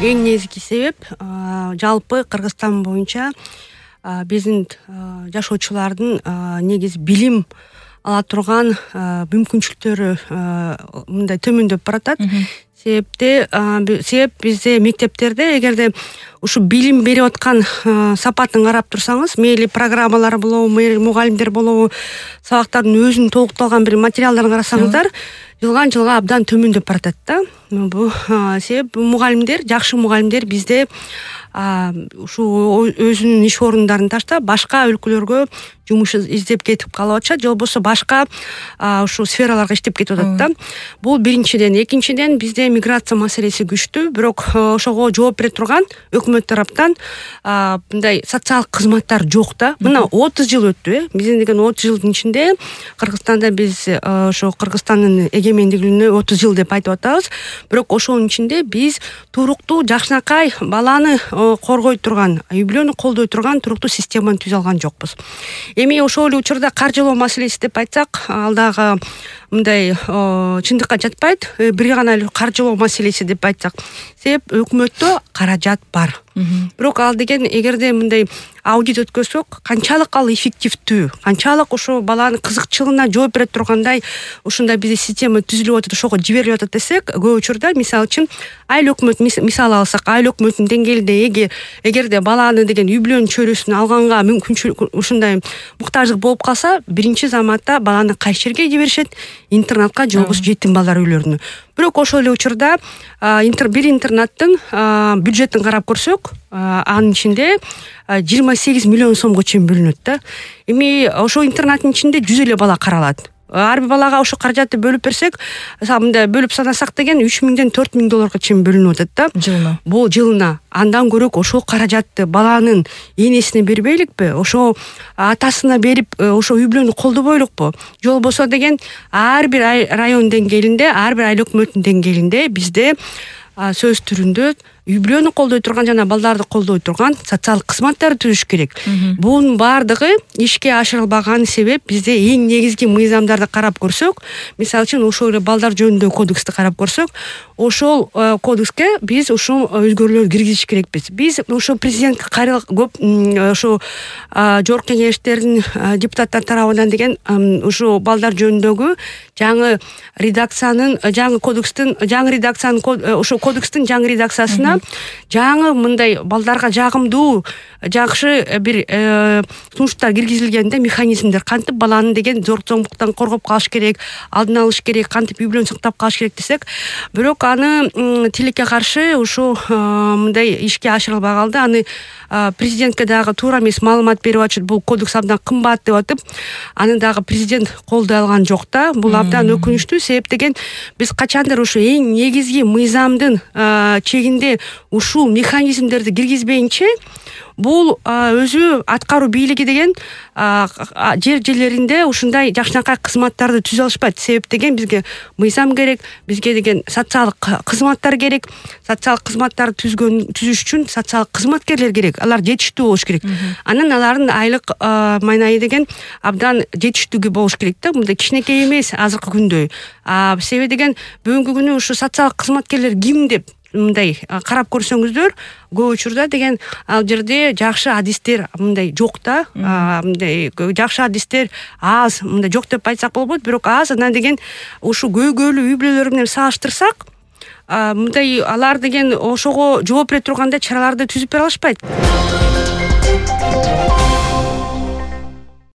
Эң негизги себеп жалпы Кыргызстан боюнча биздин жашоочулардын негизи билим ала турган мүмкүнчүлүктөрү мындай төмөндөп баратат. Себеп бизде мектептерде эгерде ушу билим берип аткан сапатын карап турсаңыз, мейли программалар болобу, мейли мугалимдер болобу, сабактардын өзүнүн толукталган бир материалдарын карасаңыздар, жылган жылга абдан төмөндөп баратат да. Бул себеп мугалимдер, жакшы мугалимдер бизде ушу өзүнүн иш орундарын таштап, башка өлкөлөргө жумуш издеп кетип калып атышат, же болбосо башка ушу сфераларга иштеп кетип атат да. Бул биринчиден. Экинчиден, бизде миграция маселеси күчтүү, бирок ошого жооп бере турган өкмөт тараптан мындай социалдык кызматтар жок да. Мына 30 жыл өттү, биздин деген 30 жылдын ичинде Кыргызстанда биз ошо Кыргызстандын эгемендигине 30 жыл деп айтып атабыз. Бирок ошонун ичинде биз туруктуу, жакшынакай баланы коргой турган, үй бүлөнү колдой турган туруктуу системаны түзө алган жокпуз. Эми ошол эле учурда каржылоо маселеси деп айтсак, ал дагы мындай чындыкка жатпайт. Бир гана эле каржылоо маселеси деп айтсак, себеп өкмөттө каражат бар. Бирок ал деген эгерде мындай аудит өткөрсөк, канчалык ал эффективдүү, канчалык ошо баланын кызыкчылыгына жооп бере тургандай ушундай бизде система түзүлүп атат, ошого жиберилип атат десек, көп учурда мисалы үчүн айыл өкмөт мисал алсак, айыл өкмөтүнүн деңгээлинде эгерде баланы деген үй бүлөнүн чөйрөсүн алганга мүмкүнчүлүк ушундай муктаждык болуп калса, биринчи заматта баланы кайсы жерге жиберишет? Интернатка же болбосо жетим балдар үйлөрүнө. Бирок ошол эле учурда бир интернаттын бюджетин карап көрсөк, анын ичинде 28 миллион сомго чейин бөлүнөт да. Эми ошо интернаттын ичинде 100 эле бала каралат. Ар бир балага ошо каражатты бөлүп берсек, мындай бөлүп санасак деген 3000ден 4000 долларга чейин бөлүнүп атат да. Жылына. Бул жылына. Андан көрөк ошол каражатты баланын энесине бербейликпи? Ошо атасына берип, ошо үй бүлөнү колдобойлукпу? Же болбосо деген ар бир район деңгээлинде, ар бир айыл өкмөтүнүн деңгээлинде бизде сөз түрүндө үй бүлөнү колдой турган жана балдарды колдой турган социалдык кызматтарды түзүш керек. Бунун баардыгы ишке ашырылбаган себеп бизде эң негизги мыйзамдарды карап көрсөк, мисалы үчүн ошол эле балдар жөнүндөгү кодексти карап көрсөк, ошол кодекске биз ушул өзгөрүүлөр киргизиш керекпиз. Биз ошо президентке көп ошо жогорку кеңештердин депутаттар тарабынан деген ушул балдар жөнүндөгү жаңы редакциянын, жаңы кодекстин, жаңы редакциянын ошо кодекстин жаңы редакциясына жаңы мындай балдарга жагымдуу, жакшы бир сунуштар киргизилгенде механизмдер кантип баланы деген зор зомбуктан коргоп калыш керек, алдын алыш керек, кантип үй бүлөнү сактап калыш керек десек, бирок аны тилекке каршы ушу мындай ишке ашырылбай калды. Аны президентке дагы туура эмес маалымат берип атышат, бул кодекс абдан кымбат деп атып, аны дагы президент колдой алган жок да. Бул абдан өкүнүчтүү, себеп деген биз качандыр ушу эң негизги мыйзамдын чегинде ушул механизмдерди киргизбейинче, бул өзү аткаруу бийлиги деген жерлеринде ушундай жакшынакай кызматтарды түзө алышпайт. Себеп деген бизге мыйзам керек, бизге деген социалдык кызматтар керек. Социалдык кызматтарды түзүш үчүн социалдык кызматкерлер керек. Алар жетиштүү болуш керек. Анан алардын айлык майнайы деген абдан жетиштүү болуш керек да. Мындай кичинекей эмес азыркы күндө. Себеби деген бүгүнкү күнү ушу социалдык кызматкерлер ким деп мындай карап көрсөңүздөр, көп учурда деген ал жерде жакшы адистер мындай жок да. Мындай жакшы адистер аз, мындай жок деп айтсак болбойт, бирок аз. Анан деген ушу көйгөйлүү үй бүлөлөр менен салыштырсак, мындай алар деген ошого жооп бере тургандай чараларды түзүп бере алышпайт.